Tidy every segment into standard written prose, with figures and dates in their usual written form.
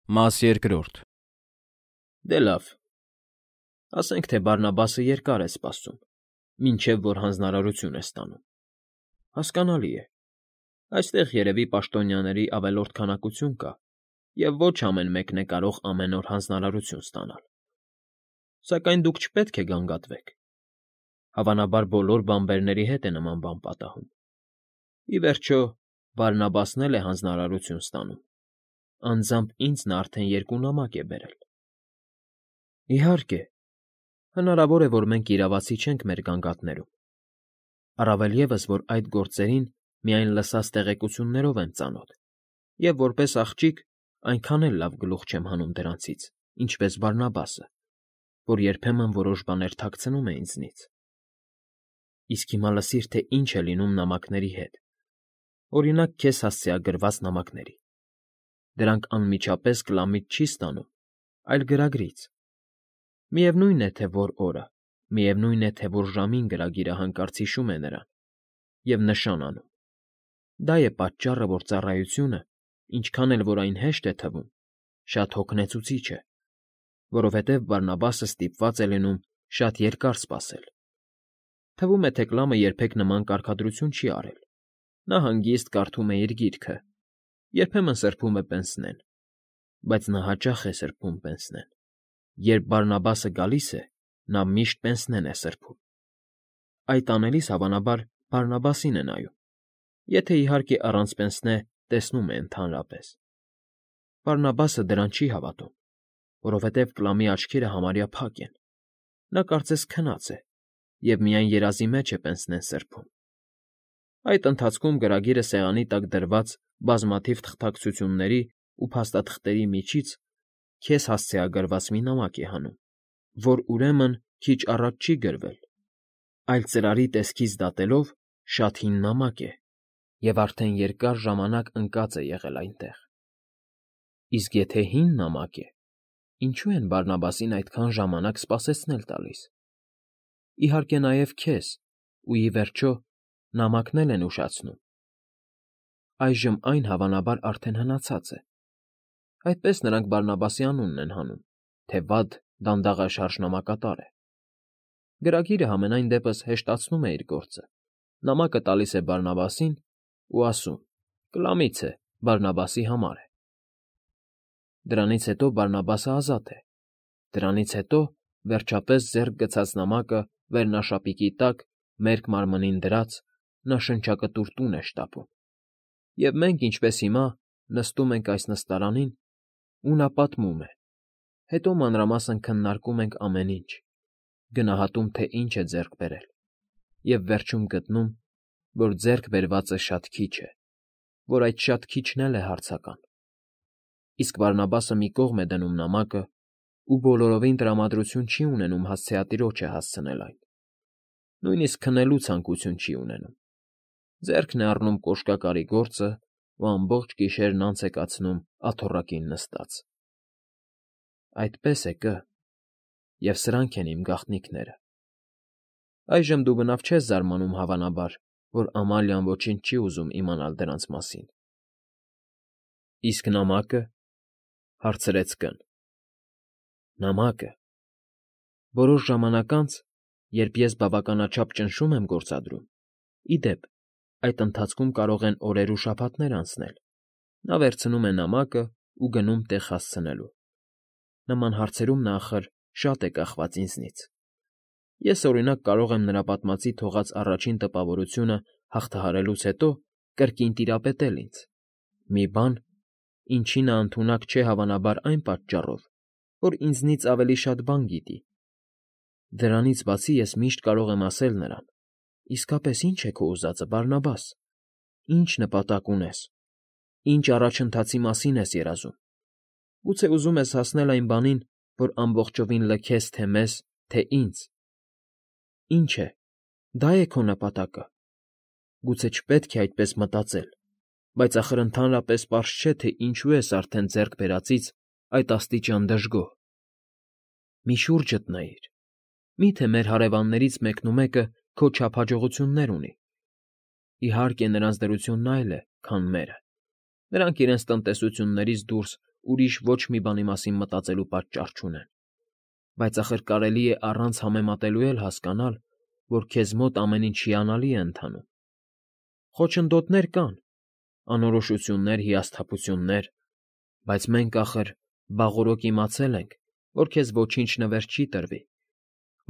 Մաս երկրորդ։ Դե լավ, ասենք թե Բարնաբասը երկար է սպասում, մինչև որ հանձնարարություն է ստանում։ Հասկանալի է, այստեղ երևի պաշտոնյաների ավելորդ քանակություն կա, և ոչ ամեն մեկն է կարող ամեն օր հանձնարարություն ստանալ։ Սակայն դուք չպետք է գանգատվեք։ Հավանաբար բոլոր բանբերների հետ է նման բան պատահում։ Ի վերջո, Բարնաբասն էլ է հանձնարարություն ստանում։ Անձամբ ինձ նա արդեն 2 նամակ է բերել։ Իհարկե, հնարավոր է, որ մենք իրավացի չենք մեր գանգատներում։ Առավել ևս, որ այդ գործերին միայն լսած տեղեկություններով եմ ծանոթ, և որպես աղջիկ այնքան էլ լավ գլուխ չեմ հանում դրանցից, ինչպես Բարնաբասը, որ երբեմն որոշ բաներ թաքցնում է ինձնից։ Իսկ հիմա լսիր, թե ինչ է լինում նամակների հետ, օրինակ, քեզ հասցեագրված նամակների։ Դրանք անմիջապես կլամից չի ստանում, այլ գրագրից։ Միևնույն է, թե որ օրը, միևնույն է, թե որ ժամին գրագիրը հանկարծ հիշում է նրան և նշան անում։ Դա է պատճառը, որ ծառայությունը, ինչքան էլ որ այն հեշտ է թվում, շատ հոգնեցուցիչ է, որովհետև Բարնաբասը ստիպված է լինում շատ երկար սպասել։ Թվում է, թե Կլամը երբեք նման կարգադրություն չի արել։ Նա հանգիստ կարդում է իր գիրքը, երբեմն սրբում է պենսնեն, բայց նա հաճախ է սրբում պենսնեն։ Երբ Բարնաբասը գալիս է, նա միշտ պենսնեն է սրբում։ Այդ անելիս, հավանաբար, Բարնաբասին է նայում, եթե, իհարկե, առանց պենսնե տեսնում է ընդհանրապես։ Բարնաբասը դրան չի հավատում, որովհետև Կլամի աչքերը համարյա փակ են։ Նա կարծես քնած է և միայն երազի մեջ է պենսնեն սրբում։ Այդ ընթացքում գրագիրը սեղանի տակ դրված բազմաթիվ թղթակցությունների ու փաստաթղթերի միջից քեզ հասցեագրված մի նամակ է հանում, որ, ուրեմն, քիչ առաջ չի գրվել, այլ ծրարի տեսքից դատելով շատ հին նամակ է և արդեն երկար ժամանակ ընկած է եղել այնտեղ։ Իսկ եթե հին նամակ է, ինչու են Բարնաբասին այդքան ժամանակ սպասեցնել տալիս։ Իհարկե, նաև քեզ, ու, ի վերջո, նամակն էլ են ուշացնում։ Այժմ այն, հավանաբար, արդեն հնացած է։ Այդպես նրանք Բարնաբասի անունն են հանում, թե վատ, դանդաղաշարժ նամակատար է։ Գրագիրը համենայն դեպս հեշտացնում է իր գործը։ Նամակը տալիս է Բարնաբասին ու ասում. «Կլամից է, Բարնաբասի համար է»։ Դրանից հետո Բարնաբասը ազատ է։ Դրանից հետո, վերջապես, ձեռք գցած նամակը վերնաշապիկի տակ, մերկ մարմնին դրած, նա շնչակտուր տուն է շտապում։ Եվ մենք, ինչպես հիմա, նստում ենք այս նստարանին, ու նա պատմում է։ Հետո մանրամասն քննարկում ենք ամեն ինչ, գնահատում, թե ինչ է ձեռք բերել, և վերջում գտնում, որ ձեռք բերվածը շատ քիչ է, որ այդ շատ քիչն էլ է հարցական։ Իսկ Բարնաբասը մի կողմ է դնում նամակը ու բոլորովին տրամադրություն չի ունենում հասցեատիրոջը հասցնել այն։ Նույնիսկ քննելու ցանկություն չի ունենում։ Ձեռքն է առնում կոշկակարի գործը ու ամբողջ գիշերն անց է կացնում աթոռակին նստած։ Այդպես է կը, և սրանք են իմ գաղտնիքները։ Այժմ դու բնավ չես զարմանում, հավանաբար, որ Ամալիան ոչինչ չի ուզում իմանալ դրանց մասին։ Իսկ նամակը,֊ հարցրեց կն։ Նամակը… Որոշ ժամանակ անց, երբ ես բավականաչափ ճնշում եմ գործադրում, ի դեպ, այդ ընթացքում կարող են օրեր ու շաբաթներ անցնել, նա վերցնում է նամակը ու գնում տեղ հասցնելու։ Նման հարցերում նա, ախր, շատ է կախված ինձնից։ Ես, օրինակ, կարող եմ նրա պատմածի թողած առաջին տպավորությունը հաղթահարելուց հետո կրկին տիրապետել ինձ։ Մի բան, ինչի նա ընդունակ չէ, հավանաբար, այն պատճառով, որ ինձնից ավելի շատ բան գիտի։ Դրանից բացի ես միշտ կարող եմ ասել նրան. «Իսկապես ի՞նչ է քո ուզածը, Բարնաբաս, ի՞նչ նպատակ ունես, ի՞նչ առաջընթացի մասին ես երազում։ Գուցե ուզում ես հասնել այն բանին, որ ամբողջովին լքես թե մեզ, թե ինձ։ Ի՞նչ է, դա՞ է քո նպատակը։ Գուցե չպետք է այդպես մտածել, բայց ախր ընդհանրապես պարզ չէ, թե ինչու ես արդեն ձեռք բերածից այդ աստիճան դժգոհ։ Մի շուրջդ նայիր։ Մի՞թե մեր հարևաններից մեկնումեկը քո չափ հաջողություններ ունի։ Իհարկե, նրանց դրությունն այլ է, քան մերը։ Նրանք իրենց տնտեսություններից դուրս ուրիշ ոչ մի բանի մասին մտածելու պատճառ չունեն, բայց ախր կարելի է առանց համեմատելու էլ հասկանալ, որ քեզ մոտ ամեն ինչ հիանալի է ընթանում։ Խոչընդոտներ կան, անորոշություններ, հիասթափություններ, բայց մենք ախր բաղօրոք իմացել ենք, որ քեզ ոչինչ նվեր չի տրվի,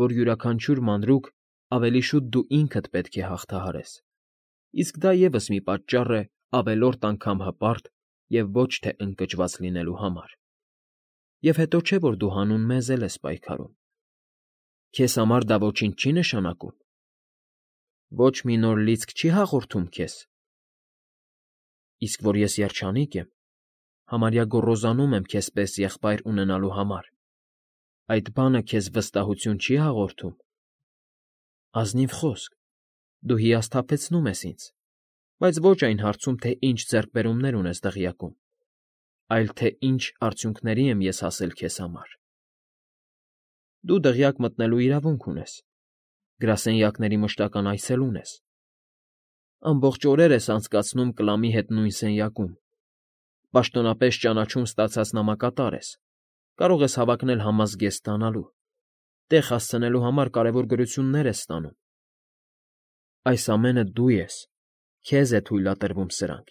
որ յուրաքանչյուր մանրուք ավելի շուտ դու ինքդ պետք է հաղթահարես, իսկ դա ևս մի պատճառ է ավելորդ անգամ հպարտ և ոչ թե ընկճված լինելու համար։ Եվ հետո չէ, որ դու հանուն մեզ էլ ես պայքարում։ Քեզ համար դա ոչինչ չի նշանակում։ Ոչ մի նոր լիցք չի հաղորդում քեզ։ Իսկ որ ես երջանիկ եմ, համարյա գոռոզանում եմ քեզ պես եղբայր ունենալու համար, այդ բանը քեզ վստահություն չի հաղորդում։ Ազնիվ խոսք, դու հիասթափեցնում ես ինձ, բայց ոչ այն հարցում, թե ինչ ձեռքբերումներ ունես դղյակում, այլ թե ինչ արդյունքների եմ ես հասել քեզ համար։ Դու դղյակ մտնելու իրավունք ունես, գրասենյակների մշտական այցելուն ես, ամբողջ օրեր ես անցկացնում Կլամի հետ նույն սենյակում, պաշտոնապես ճանաչում ստացած նամակատար ես, կարող ես հավակնել համազգեստ ստանալու, տեղ հասցնելու համար կարևոր գրություններ ես ստանում։ Այս ամենը դու ես, քեզ է թույլատրվում սրանք,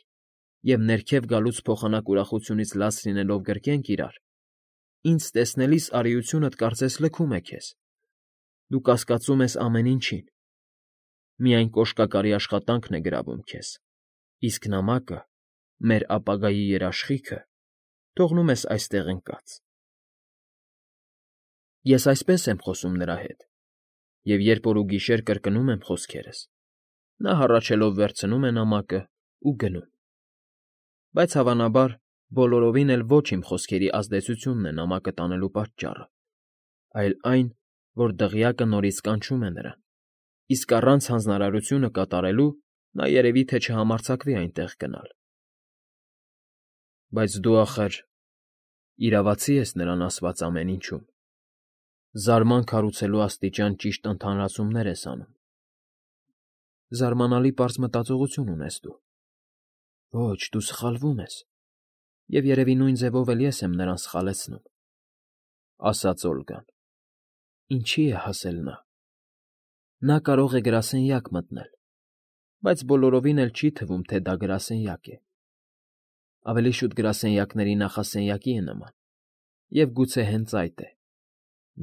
և ներքև գալուց փոխանակ ուրախությունից լաց լինելով գրկենք իրար, ինձ տեսնելիս արիությունդ կարծես լքում է քեզ, դու կասկածում ես ամեն ինչին, միայն կոշկակարի աշխատանքն է գրավում քեզ, իսկ նամակը, մեր ապագայի երաշխիքը, թողնում ես այստեղ ընկած։ Ես այսպես եմ խոսում նրա հետ, և երբ օր ու գիշեր կրկնում եմ խոսքերս, նա հառաչելով վերցնում է նամակը ու գնում։ Բայց հավանաբար բոլորովին էլ ոչ իմ խոսքերի ազդեցությունն է նամակը տանելու պատճառը, այլ այն, որ դղյակը նորից կանչում է նրան, իսկ առանց հանձնարարությունը կատարելու նա երևի թե չհամարձակվի այնտեղ գնալ։ Բայց դու, ախր, իրավացի ես նրան ասված ամեն ինչում, զարման քարուցելու աստիճան ճիշտ ընդհանրացումներ ես անում։ Զարմանալի պարզ մտածողություն ունես դու։ Ոչ, դու սխալվում ես, և երևի նույն ձևով էլ ես եմ նրան սխալեցնում, ասաց Օլգան։ Ինչի է հասել նա։ Նա կարող է գրասենյակ մտնել, բայց բոլորովին էլ չի թվում, թե դա գրասենյակ է։ Ավելի շուտ գրասենյակների նախասենյակի է նման, և գուցե հենց այդ է։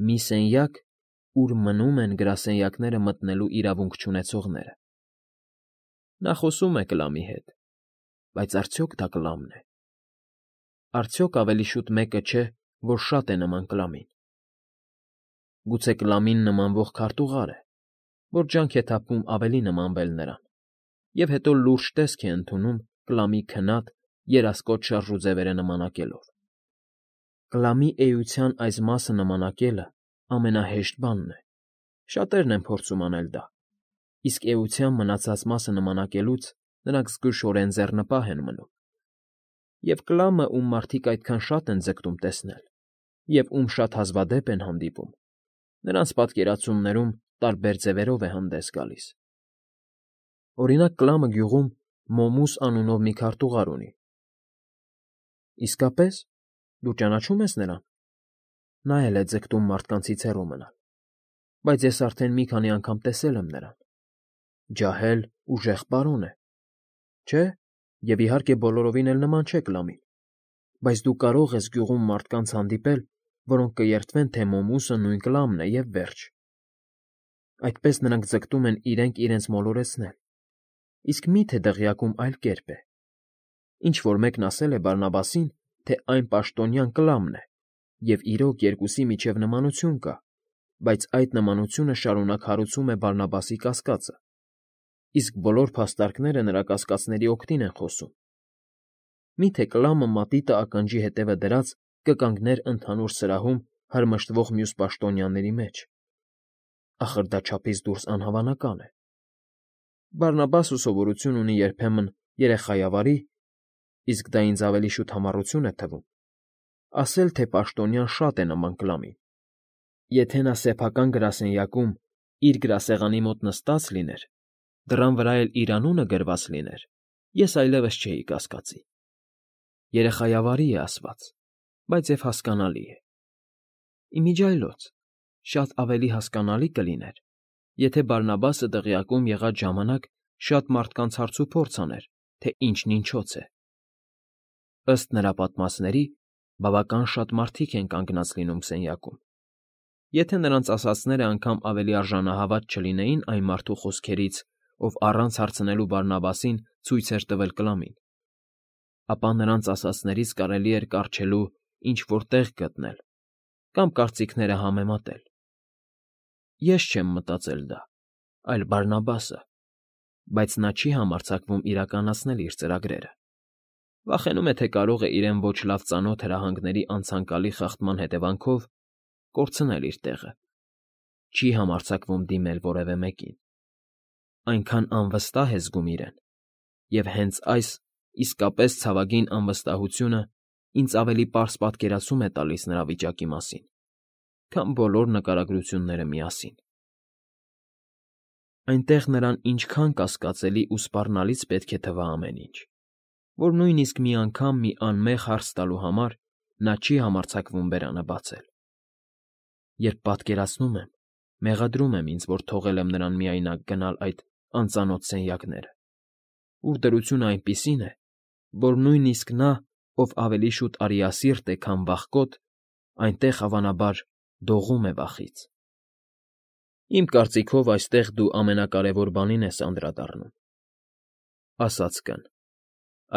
Մի սենյակ, ուր մնում են գրասենյակները մտնելու իրավունք չունեցողները։ Նա խոսում է Կլամի հետ, բայց արդյոք դա Կլամն է։ Արդյոք ավելի շուտ մեկը չէ, որ շատ է նման Կլամին։ Գուցե Կլամին նմանվող քարտուղար է, որ ջանք է թափվում ավելի նմանվել նրան, և հետո լուրջ տեսք է ընդունում Կլամի քնած, երասկոտ շարժուձևերը նմանակելով։ Կլամի էության այս մասը նմանակելը ամենահեշտ բանն է, շատերն են փորձում անել դա, իսկ էության մնացած մասը նմանակելուց նրանք զգուշորեն ձեռնպահ են մնում։ Եվ Կլամը, ում մարդիկ այդքան շատ են ձգտում տեսնել, և ում շատ հազվադեպ են հանդիպում, նրանց պատկերացումներում տարբեր ձևերով է հանդես գալիս։ Օրինակ, Կլամը գյուղում Մոմուս անունով մի քարտուղար ունի։ Իսկապես, դու ճանաչում ես նրան։ Նա էլ է ձգտում մարդկանցից հեռու մնալ, բայց ես արդեն մի քանի անգամ տեսել եմ նրան։ Ջահել, ուժեղ պարոն է, չէ՞, և իհարկե բոլորովին էլ նման չէ Կլամին, բայց դու կարող ես գյուղում մարդկանց հանդիպել, որոնք կերդվեն, թե Մոմուսը նույն Կլամն է, և վերջ։ Այդպես նրանք ձգտում են իրենք իրենց մոլորեցնել, իսկ մի՞թե դղյակում այլ կերպ է։ Ինչ֊որ մեկն ասել է Բարնաբասին, թե այն պաշտոնյան Կլամն է, և իրոք երկուսի միջև նմանություն կա, բայց այդ նմանությունը շարունակ հարուցում է Բարնաբասի կասկածը, իսկ բոլոր փաստարկները նրա կասկածների օգտին են խոսում։ Մի՞թե Կլամը մատիտը ականջի հետևը դրած կկանգներ ընդհանուր սրահում հրմշտվող մյուս պաշտոնյաների մեջ։ Ախր դա չափից դուրս անհավանական է։ Բարնաբասը սովորություն ունի երբեմն երեխայավարի, իսկ դա ինձ ավելի շուտ համառություն է թվում, ասել, թե պաշտոնյան շատ է նման Կլամին։ Եթե նա սեփական գրասենյակում իր գրասեղանի մոտ նստած լիներ, դռան վրա էլ իր անունը գրված լիներ, ես այլևս չէի կասկածի։ Երեխայավարի է ասված, բայց և հասկանալի է։ Իմիջիայլոց շատ ավելի հասկանալի կլիներ, եթե Բարնաբասը տեղյակում եղած ժամանակ շատ մարդկանց հարցուփորձ աներ, թե ինչն ինչոց է։ Ըստ նրա պատմածների, բավական շատ մարդիկ են կանգնած լինում սենյակում։ Եթե նրանց ասածները անգամ ավելի արժանահավատ չլինեին այն մարդու խոսքերից, ով առանց հարցնելու Բարնաբասին ցույց էր տվել Կլամին, ապա նրանց ասածներից կարելի էր կառչելու ինչ֊որ տեղ գտնել կամ կարծիքները համեմատել։ Ես չեմ մտածել դա, այլ Բարնաբասը, բայց նա չի համարձակվում իրականացնել իր ծրագրերը։ Վախենում է, թե կարող է իրեն ոչ լավ ծանոթ հրահանգների անցանկալի խախտման հետևանքով կորցնել իր տեղը։ Չի համարձակվում դիմել որևէ մեկին։ Այնքան անվստահ է զգում իրեն, և հենց այս իսկապես ցավագին անվստահությունը ինձ ավելի պարզ պատկերացում է տալիս նրա վիճակի մասին, քան բոլոր նկարագրությունները միասին։ Այնտեղ նրան ինչքան կասկածելի ու սպառնալից պետք է թվա ամեն ինչ, որ նույնիսկ մի անգամ մի անմեղ հարց տալու համար նա չի համարձակվում բերանը բացել։ Երբ պատկերացնում եմ, մեղադրում եմ ինձ, որ թողել եմ նրան միայնակ գնալ այդ անծանոթ սենյակները, ուր դրությունը այնպիսին է, որ նույնիսկ նա, ով ավելի շուտ արիասիրտ է, քան վախկոտ, այնտեղ, հավանաբար, դողում է վախից։ Իմ կարծիքով, այստեղ դու ամենակարևոր բանին ես անդրադառնում, ասաց Կն,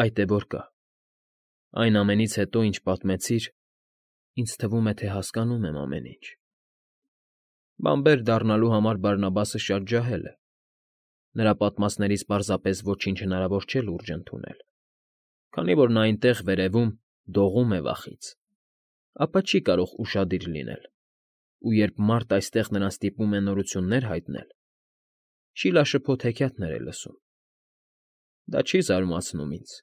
այդ է որ կա։ Այն ամենից հետո, ինչ պատմեցիր, ինձ թվում է, թե հասկանում եմ ամեն ինչ։ Բանբեր դառնալու համար Բարնաբասը շատ ջահել է։ Նրա պատմածներից պարզապես ոչինչ հնարավոր չէ լուրջ ընդունել։ Քանի որ նա այնտեղ վերևում դողում է վախից, ապա չի կարող ուշադիր լինել, ու երբ մարդ այստեղ նրան ստիպում է նորություններ հայտնել, շիլաշփոթ հեքիաթներ է լսում։ Դա չի զարմացնում ինձ։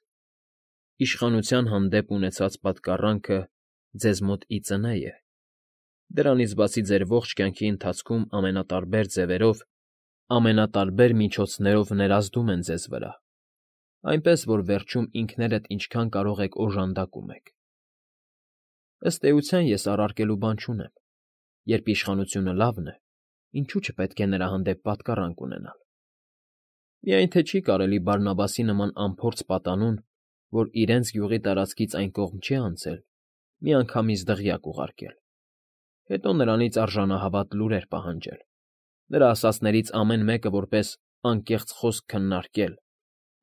Իշխանության հանդեպ ունեցած պատկառանքը ձեզ մոտ ի ծնե է։ Դրանից բացի ձեր ողջ կյանքի ընթացքում ամենատարբեր ձևերով, ամենատարբեր միջոցներով ներազդում են ձեզ վրա, այնպես որ վերջում ինքներդ ինչքան կարող եք օժանդակում եք։ Ըստ էության ես առարկելու բան չունեմ։ Երբ իշխանությունը լավն է, ինչու՞ չպետք է նրա հանդեպ պատկառանք ունենալ։ Միայն թե չի կարելի Բարնաբասի նման անփորձ պատանուն, որ իրենց գյուղի տարածքից այն կողմ չի անցել, միանգամից դղյակ ուղարկել, հետո նրանից արժանահավատ լուրեր պահանջել, նրա ասածներից ամեն մեկը որպես անկեղծ խոսք քննարկել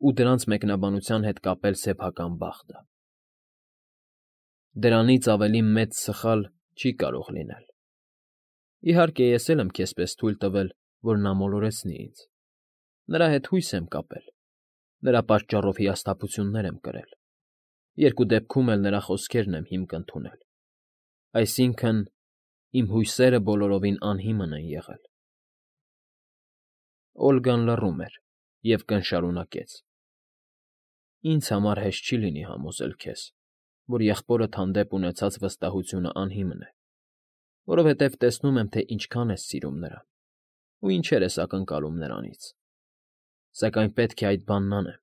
ու դրանց մեկնաբանության հետ կապել սեփական բախտը։ Դրանից ավելի մեծ սխալ չի կարող լինել։ Իհարկե, ես էլ եմ քեզ պես թույլ տվել, որ նա մոլորեցնի ինձ։ Նրա հետ հույս եմ կապել, նրա պատճառով հիասթափություններ եմ կրել։ Երկու դեպքում էլ նրա խոսքերն եմ հիմք ընդունել։ Այսինքն, իմ հույսերը բոլորովին անհիմն են եղել։ Օլգան լռում էր և Կն շարունակեց. Ինձ համար հեշտ չի լինի համոզել քեզ, որ եղբորդ հանդեպ ունեցած վստահությունը անհիմն է, որովհետև տեսնում եմ, թե ինչքան ես սիրում նրան ու ինչեր ես ակնկալում նրանից։ Սակայն պետք է այդ բանն անեմ,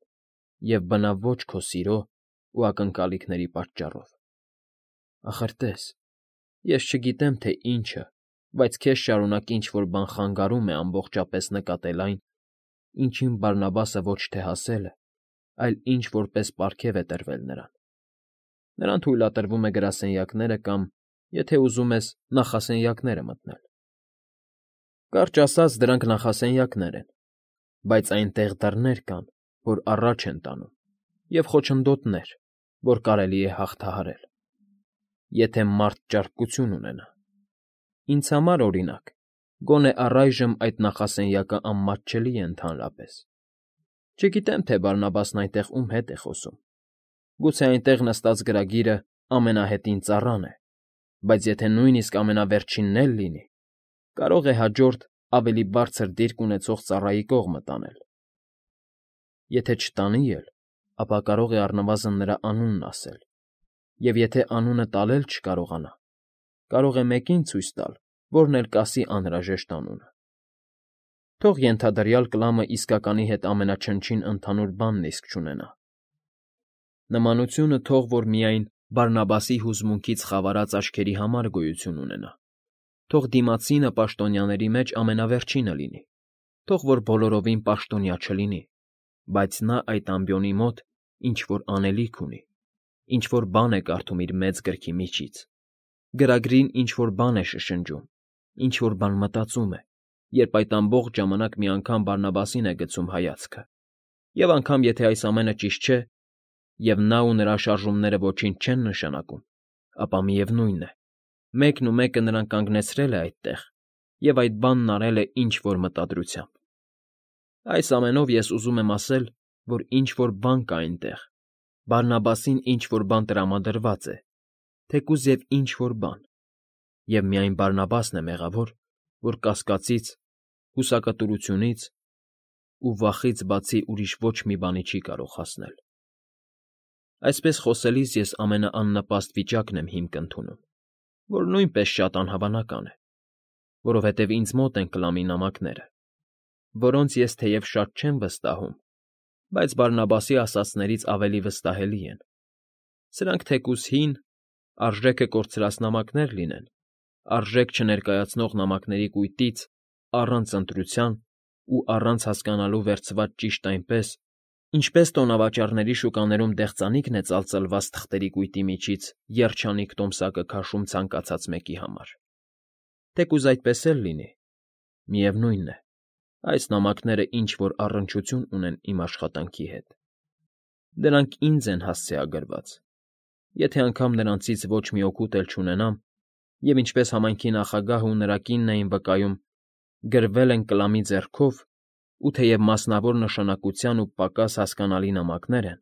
և բնավ ոչ քո սիրո ու ակնկալիքների պատճառով։ Ախր տես, ես չգիտեմ, թե ինչը, բայց քեզ շարունակ ինչ֊որ բան խանգարում է ամբողջապես նկատել այն, ինչին Բարնաբասը ոչ թե հասել է, այլ ինչ որպես պարգև է տրվել նրան։ Նրան թույլատրվում է գրասենյակները կամ, եթե ուզում ես, նախասենյակները մտնել։ Կարճ ասած, դրանք նախասենյակներ են, բայց այնտեղ դռներ կան, որ առաջ են տանում, և խոչընդոտներ, որ կարելի է հաղթահարել, եթե մարդ ճարպկություն ունենա։ Ինձ համար, օրինակ, գոնե առայժմ այդ նախասենյակը անմատչելի է ընդհանրապես։ Չգիտեմ, թե Բարնաբասն այնտեղ ում հետ է խոսում։ Գուցե այնտեղ նստած գրագիրը ամենահետին ծառան է, բայց եթե նույնիսկ ամենավերջինն էլ լինի, կարող է հաջորդ, ավելի բարձր դիրք ունեցող ծառայի կողմը տանել։ Եթե չտանի էլ, ապա կարող է առնվազն նրա անունն ասել, և եթե անունը տալ էլ չկարողանա, կարող է մեկին ցույց տալ, որն էլ կասի անհրաժեշտ անունը։ Թող ենթադրյալ Կլամը իսկականի հետ ամենաչնչին ընդհանուր բանն իսկ չունենա։ Նմանությունը թող որ միայն Բարնաբասի հուզմունքից խավարած աչքերի համար գոյություն ունենա։ Թող դիմացինը պաշտոնյաների մեջ ամենավերջինը լինի, թող որ բոլորովին պաշտոնյա չլինի, բայց նա այդ ամբիոնի մոտ ինչ-որ անելիք ունի, ինչ-որ բան է կարդում իր մեծ գրքի միջից, գրագրին ինչ-որ բան է շշնջում, ինչ-որ բան մտածում է, երբ այդ ամբողջ ժամանակ մի անգամ Բարնաբասին է գցում հայացքը, և անգամ եթե այս ամենը ճիշտ չէ, և նա ու նրա շարժումները ոչինչ չեն նշանակում, ապա միևնույն է, մեկն ու մեկը նրան կանգնեցրել է այդտեղ և այդ բանն արել է ինչ֊որ մտադրությամբ։ Այս ամենով ես ուզում եմ ասել, որ ինչ֊որ բան կա այնտեղ, Բարնաբասին ինչ֊որ բան տրամադրված է, թեկուզ և ինչ֊որ բան, և միայն Բարնաբասն է մեղավոր, որ կասկածից, հուսակտուրությունից ու վախից բացի ուրիշ ոչ մի բանի չի կարող հասնել։ Այսպես խոսելիս ես ամենաաննպաստ վիճակն եմ հիմք ընդունում, որ նույնպես շատ անհավանական է, որովհետև ինձ մոտ են կլամի նամակները, որոնց ես թեև շատ չեմ վստահում, բայց Բարնաբասի ասածներից ավելի վստահելի են։ Սրանք թեկուզ հին, արժեքը կորցրած նամակներ լինեն, արժեք չներկայացնող նամակների կույտից, առանց ընտրության ու առանց հասկանալու վերցված ճիշտ այնպես, ինչպես տոնավաճառների շուկաներում դեղձանիկն է ծալծլված թղթերի կույտի միջից երջանիկ տոմսակը քաշում ցանկացած մեկի համար։ Թեկուզ այդպես էլ լինի, միևնույն է, այս նամակները ինչ֊որ առնչություն ունեն իմ աշխատանքի հետ։ Դրանք ինձ են հասցեագրված, եթե անգամ նրանցից ոչ մի օգուտ էլ չունենամ, և ինչպես համայնքի նախագահն ու նրա կինն էին վկայում, գրվել են կլամի ձեռքով, ու թեև մասնավոր նշանակության ու պակաս հասկանալի նամակներ են,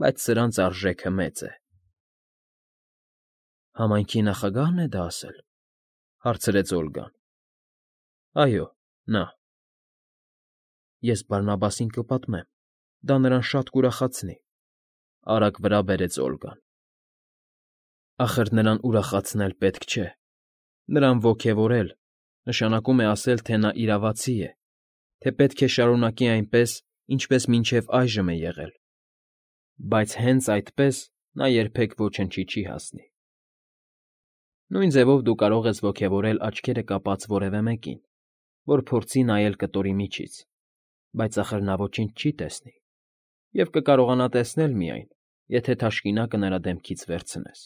բայց սրանց արժեքը մեծ է։ «Համայնքի նախագահն է դա ասել,֊ հարցրեց Օլգան։ Այո, նա։ Ես Բարնաբասին կպատմեմ, դա նրան շատ կուրախացնի,֊ արագ վրա բերեց Օլգան։ Ախր նրան ուրախացնել պետք չէ, նրան ոգևորել, նշանակում է ասել, թե նա իրավացի է, թե պետք է շարունակի այնպես, ինչպես մինչև այժմ է եղել, բայց հենց այդպես նա երբեք ոչնչի չի հասնի։ Նույն ձևով դու կարող ես ոգևորել աչքերը կապած որևէ մեկին, որ փորձի նայել կտորի միջից, բայց ախր նա ոչինչ չի տեսնի, և կկարողանա տեսնել միայն, եթե թաշկինակը նրա դեմքից վերցնես։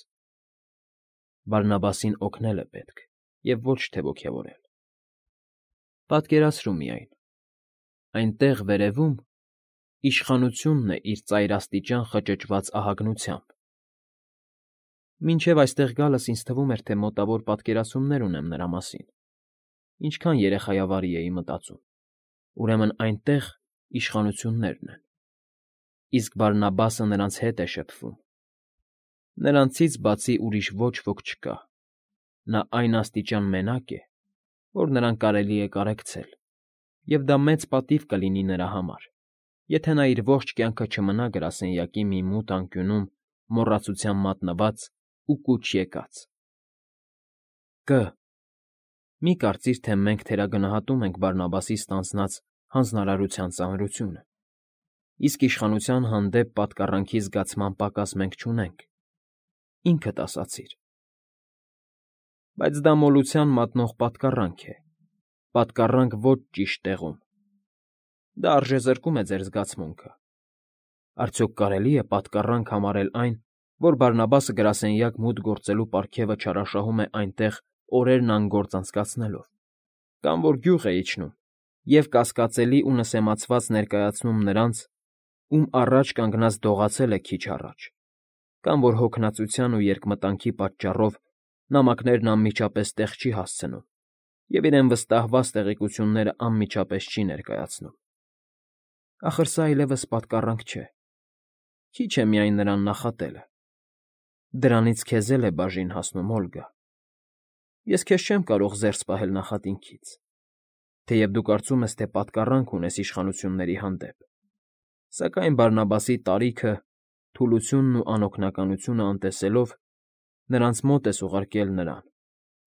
Բարնաբասին օգնել է պետք, և ոչ թե ոգևորել։ Պատկերացրու միայն, այնտեղ վերևում իշխանությունն է իր ծայրաստիճան խճճված ահագնությամբ։ Մինչև այստեղ գալս ինձ թվում էր, թե մոտավոր պատկերացումներ ունեմ նրա մասին, ինչքան երեխայավարի էի մտածում, ուրեմն այնտեղ իշխանություններն են, իսկ Բարնաբասը նրանց հետ է շփվում։ Նրանցից բացի ուրիշ ոչ ոք չկա, նա այն աստիճան մենակ է, որ նրան կարելի է կարեկցել, և դա մեծ պատիվ կլինի նրա համար, եթե նա իր ողջ կյանքը չմնա գրասենյակի մի մութ անկյունում մոռացության մատնված ու կուչ եկած։ Մի կարծիր, թե մենք թերագնահատում ենք Բարնաբասի ստանձնած հանձնարարության ծանրությունը, իսկ իշխանության հանդեպ պատկառանքի զգացման պակաս մենք չունենք, ինքդ ասացիր։ Բայց դա մոլության մատնող պատկառանք է, պատկառանք ոչ ճիշտ տեղում։ Դա արժեզրկում է ձեր զգացմունքը։ Արդյոք կարելի է պատկառանք համարել այն, որ Բարնաբասը գրասենյակ մուտք գործելու պարգևը չարաշահում է այնտեղ օրերն անգործ անցկացնելով, կամ որ գյուղ է իջնում և կասկածելի ու նսեմացված ներկայացնում նրանց, ում առաջ կանգնած դողացել է քիչ առաջ, կամ որ հոգնածության ու երկմտանքի պատճառով նամակներն անմիջապես տեղ չի հասցնում և իրեն վստահված տեղեկությունները անմիջապես չի ներկայացնում։ Ախր սա այլևս պատկառանք չէ, քիչ է միայն նրան նախատելը։ Դրանից քեզ էլ է բաժին հասնում, Օլգա։ Ես քեզ չեմ կարող զերծ պահել նախատինքից, թեև դու կարծում ես, թե պատկառանք ունես իշխանությունների հանդեպ, սակայն Բարնաբասի տարիքը, թուլությունն ու անօգնականությունը անտեսելով, նրանց մոտ ես ուղարկել նրան,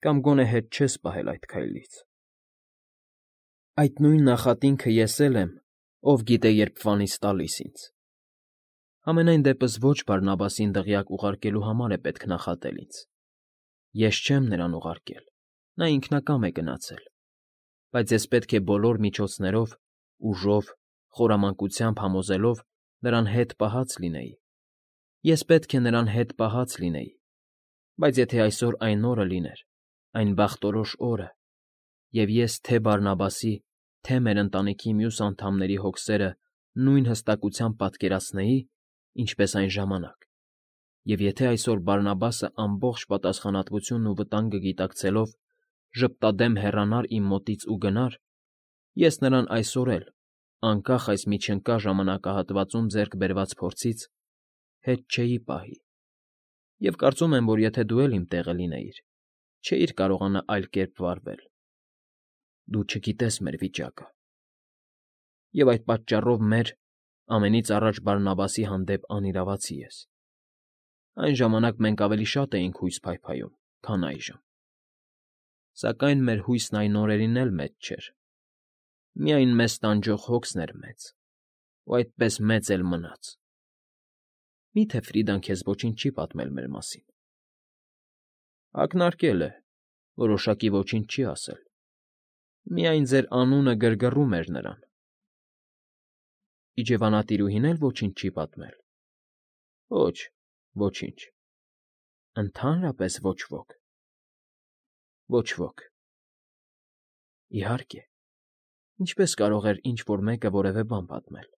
կամ գոնե հետ չես պահել այդ քայլից։ Այդ նույն նախատինքը ես էլ եմ, ով գիտե երբ վանից տալիս ինձ։ Համենայն դեպս ոչ Բարնաբասին դղյակ ուղարկելու համար է պետք նախատել ինձ. ես չեմ նրան ուղարկել, նա ինքնակամ է գնացել, բայց ես պետք է բոլոր միջոցներով, ուժով, խորամանկությամբ համոզելով նրան հետ պահած լինեի, ես պետք է նրան հետ պահած լինեի, բայց եթե այսօր այն օրը լիներ, այն բախտորոշ օրը, և ես թե Բարնաբասի, թե մեր ընտանիքի մյուս անդամների հոգսերը նույն հստակությամբ պատկերացնեի, ինչպես այն ժամանակ, և եթե այսօր Բարնաբասը ամբողջ պատասխանատվությունն ու վտանգը գիտակցելով ժպտադեմ հեռանար իմ մոտից ու գնար, ես նրան այսօր էլ, անկախ այս միջընկա ժամանակահատվածում ձեռք բերված փորձից, հետ չէի պահի, և կարծում եմ, որ եթե դու էլ իմ տեղը լինեիր, չէիր կարողանա այլ կերպ վարվել. դու չգիտես մեր վիճակը, և այդ պատճառով մեր, ամենից առաջ Բարնաբասի հանդեպ անիրավացի ես. այն ժամանակ մենք ավելի շատ էինք հույս փայփայում, քան այժմ, սակայն մեր հույսն այն օրերին էլ մեծ չէր, միայն մեզ տանջող հոգսն էր մեծ, ու այդպես մեծ էլ մնաց։ Մի՞թե Ֆրիդան քեզ ոչինչ չի պատմել մեր մասին։ Ակնարկել է, որոշակի ոչինչ չի ասել, միայն ձեր անունը գրգռում էր նրան։ Իջևանատիրուհին էլ ոչինչ չի պատմել։ Ոչ, ոչինչ։ Ընդհանրապես ոչ ոք։ Ոչ ոք։ Իհարկե, ինչպես կարող էր ինչ֊որ մեկը որևէ բան պատմել։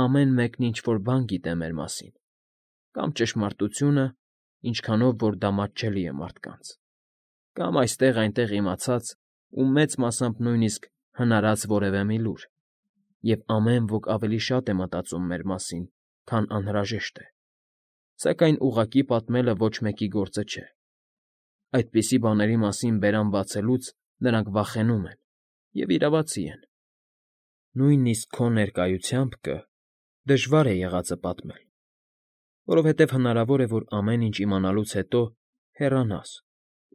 Ամեն մեկն ինչ֊որ բան գիտե մեր մասին, կամ ճշմարտությունը, ինչքանով որ դա մատչելի է մարդկանց, կամ այստեղ֊այնտեղ իմացած ու մեծ մասամբ նույնիսկ հնարած որևէ մի լուր, և ամեն ոք ավելի շատ է մտածում մեր մասին, քան անհրաժեշտ է, սակայն ուղղակի պատմելը ոչ մեկի գործը չէ։ Այդպիսի բաների մասին բերան բացելուց նրանք վախենում են և իրավացի են։ Նույնիսկ քո ներկայությամբ դժվար է եղածը պատմել, որովհետև հնարավոր է, որ ամեն ինչ իմանալուց հետո հեռանաս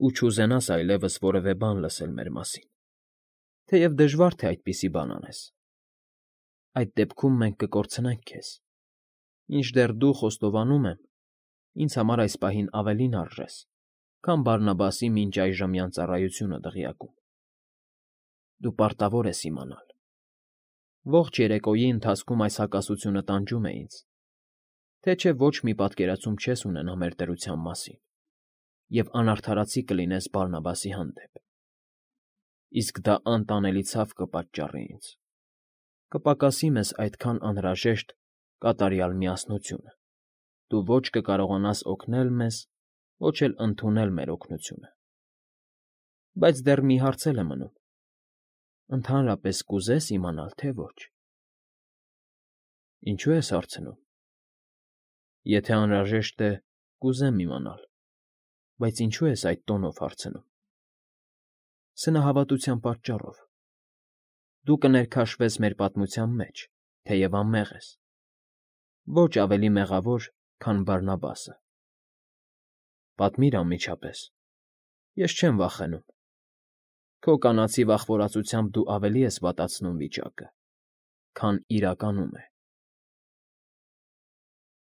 ու չուզենաս այլևս որևէ բան լսել մեր մասին, թեև դժվար թե այդպիսի բան անես։ Այդ դեպքում մենք կկորցնենք քեզ, մինչդեռ դու, խոստովանում եմ, ինձ համար այս պահին ավելին արժես, քան Բարնաբասի մինչ այժմյան ծառայությունը դղյակում։ Դու պարտավոր ես իմանալ։ Ողջ երեկոյի ընթացքում այս հակասությունը տանջում է ինձ, թե չէ ոչ մի պատկերացում չես ունենա մեր դրության մասին, և անարդարացի կլինես Բարնաբասի հանդեպ։ Իսկ դա անտանելի ցավ կպատճառի ինձ, կպակասի մեզ այդքան անհրաժեշտ կատարյալ միասնությունը, դու ոչ կկարողանաս օգնել մեզ, ոչ էլ ընդունել մեր օգնությունը։ Բայց դեռ մի հարց էլ է մնում. ընդհանրապես կուզե՞ս իմանալ, թե ոչ։ Ինչո՞ւ ես հարցնում։ Եթե անհրաժեշտ է, կուզեմ իմանալ, բայց ինչո՞ւ ես այդ տոնով հարցնում։ Սնահավատության պատճառով։ Դու կներքաշվես մեր պատմության մեջ, թեև անմեղ ես։ Ոչ ավելի մեղավոր, քան Բարնաբասը։ Պատմիր անմիջապես։ Ես չեմ վախենում։ Քո կանացի վախվորածությամբ դու ավելի ես վատացնում վիճակը, քան իրականում է։